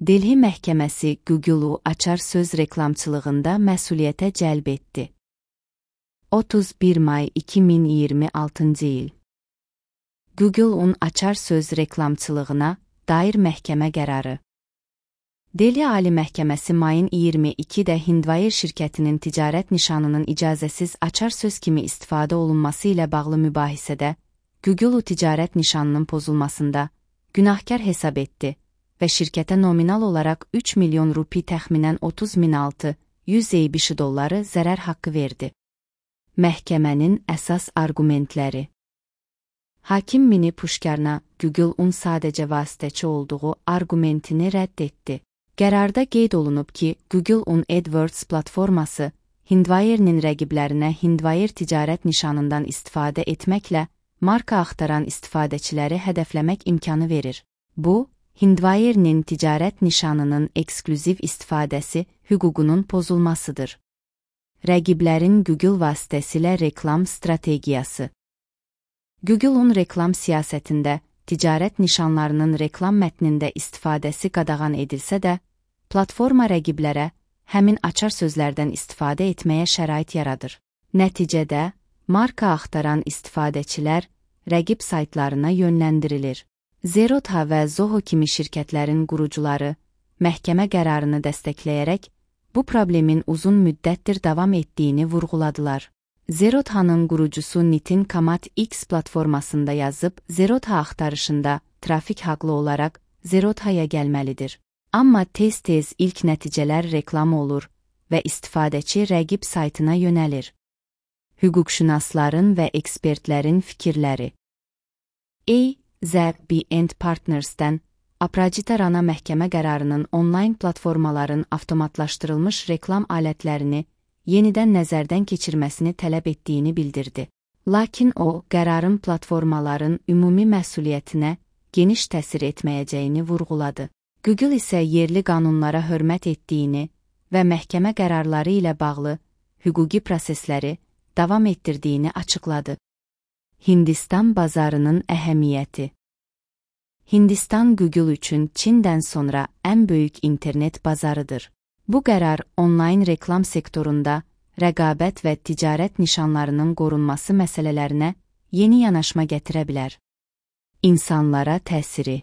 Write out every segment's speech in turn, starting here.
Delhi məhkəməsi Google-u açar söz reklamçılığında məsuliyyətə cəlb etdi. 31 may 2026 il. Google-un açar söz reklamçılığına dair məhkəmə qərarı. Delhi Ali Məhkəməsi mayın 22-də Hindwire şirkətinin ticarət nişanının icazəsiz açar söz kimi istifadə olunması ilə bağlı mübahisədə Google-u ticarət nişanının pozulmasında günahkar hesab etdi və şirkətə nominal olaraq 3 milyon rupi təxminən 30.600 ABŞ dolları zərər haqqı verdi. Məhkəmənin əsas arqumentləri. Hakim Mini Pushkarna Google-un sadəcə vasitəçi olduğu arqumentini rədd etdi. Qərarda qeyd olunub ki, Google-un AdWords platforması Hindwire'nin rəqiblərinə Hindwire ticarət nişanından istifadə etməklə marka axtaran istifadəçiləri hədəfləmək imkanı verir. Bu, Hindwire'nin ticarət nişanının eksklüziv istifadəsi hüququnun pozulmasıdır. Rəqiblərin Google vasitəsilə reklam strategiyası. Google-un reklam siyasətində ticarət nişanlarının reklam mətnində istifadəsi qadağan edilsə də, platforma rəqiblərə həmin açar sözlərdən istifadə etməyə şərait yaradır. Nəticədə, marka axtaran istifadəçilər rəqib saytlarına yönləndirilir. Zerodha və Zoho kimi şirkətlərin qurucuları məhkəmə qərarını dəstəkləyərək bu problemin uzun müddətdir davam etdiyini vurğuladılar. Zerodha'nın qurucusu Nitin Kamat X platformasında yazıb, Zerodha axtarışında trafik haqlı olaraq Zerodha'ya gəlməlidir. Amma tez-tez ilk nəticələr reklam olur və istifadəçi rəqib saytına yönəlir. Hüquqşünasların və ekspertlərin fikirləri. AZB & Partners'dən Aprajita Rana məhkəmə qərarının onlayn platformaların avtomatlaşdırılmış reklam alətlərini yenidən nəzərdən keçirməsini tələb etdiyini bildirdi. Lakin o, qərarın platformaların ümumi məsuliyyətinə geniş təsir etməyəcəyini vurğuladı. Google isə yerli qanunlara hörmət etdiyini və məhkəmə qərarları ilə bağlı hüquqi prosesləri davam etdirdiyini açıqladı. Hindistan bazarının əhəmiyyəti. Hindistan Google üçün Çindən sonra ən böyük internet bazarıdır. Bu qərar onlayn reklam sektorunda rəqabət və ticarət nişanlarının qorunması məsələlərinə yeni yanaşma gətirə bilər. İnsanlara təsiri.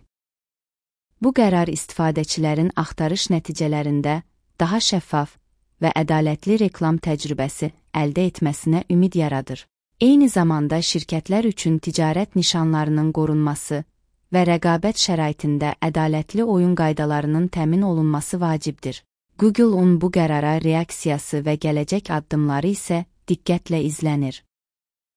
Bu qərar istifadəçilərin axtarış nəticələrində daha şəffaf və ədalətli reklam təcrübəsi əldə etməsinə ümid yaradır. Eyni zamanda şirkətlər üçün ticarət nişanlarının qorunması və rəqabət şəraitində ədalətli oyun qaydalarının təmin olunması vacibdir. Google-un bu qərara reaksiyası və gələcək addımları isə diqqətlə izlənir.